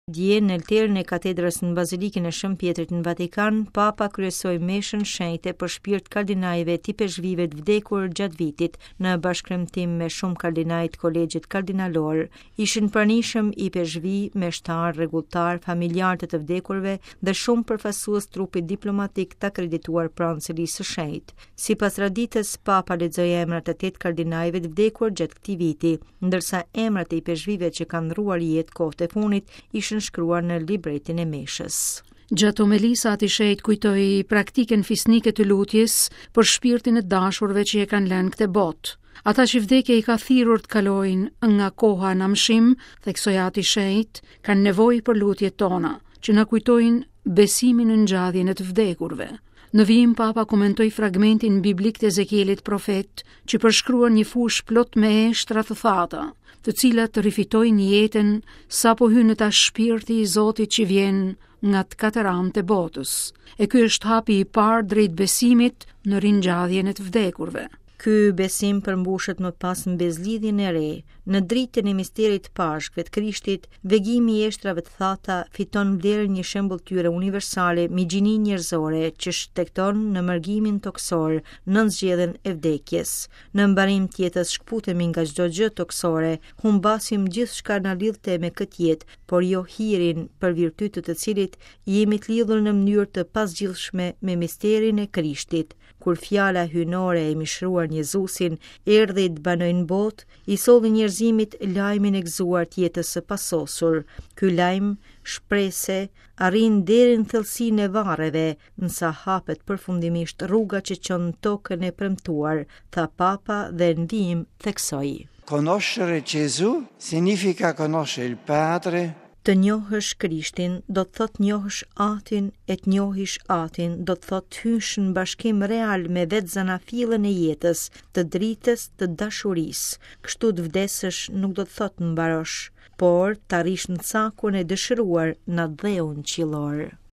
Dje, në oltarin e katedrës në Bazilikën e Shën Pjetrit në Vatikan, Papa kryesoi meshën shenjte për shpirt kardinajve të ipeshkvijve të vdekur gjatë vitit, në bashkëkremtim me shumë kardinaj të kolegjit kardinalor. Ishin pranishëm ipeshkvij, meshtarë, rregulltarë, familjarë të të vdekurve dhe shumë përfaqësues trupit diplomatik të akredituar pranë Selisë së Shenjtë. Sipas traditës, Papa lexoi emrat e 8 kardinajve të vdekur gjatë këtij viti, ndërsa emrat e ipeshkvijve që kanë ndërruar jetë kohët e fundit ishin shkruar në libretin e meshës. Gjatë homelisë Ati i Shenjtë kujtoi praktikën fisnike të lutjes për shpirtin e të dashurve që e kanë lënë këtë botë. Ata që vdekja i ka thirrur të kalojnë nga koha në amshim, theksoi Ati i Shenjtë, kanë nevojë për lutjet tona, që na kujtojnë besimin në ngjalljen e të vdekurve. Në vijim Papa komentoi fragmentin biblik të Ezekielit profet, që përshkruan një fushë plot me eshtra të thata, të cilat rifitojnë jetën sapo hyn në ta shpirti i Zotit që vjen nga të katër anët e botës. E ky është hapi i parë drejt besimit në ringjalljen e të vdekurve. Ky besim përmbushet më pas në besëlidhjen e re, në dritën e misterit të Pashkëve të Krishtit, vegimi i eshtrave të thata fiton vlerën një shëmbëlltyre universale mbi gjininë njerëzore që shtegton në mërgimin tokësor nën zgjedhën e vdekjes. Në mbarim të jetës shkëputemi nga çdo gjë tokësore, humbasim gjithçka na lidhte me këtë jetë, por jo hirin për virtyt të të cilit jemi të lidhur në mënyrë të pazgjidhshme me misterin e Krishtit. Kur fjala hyjnore e mishëruar në Jezusin erdhi të banojë në botë, i solli njerëzimit lajmin e gëzuar të jetës së pasosur. Ky lajm shprese arrin deri në thellësinë e varreve, nësa hapet përfundimisht rruga që çon në tokën e premtuar, tha Papa dhe në vijim theksoi. Conoscere Gesù significa conoscere il Padre Të njohësh Krishtin do të thotë njohësh Atin e të njohish Atin do të thotë të hysh në bashkim real me vetë zanafillën e jetës, të dritës, të dashurisë. Kështu të vdesësh nuk do të thotë mbarosh, por të arrish në cakun e dëshiruar në atdheun qiellor.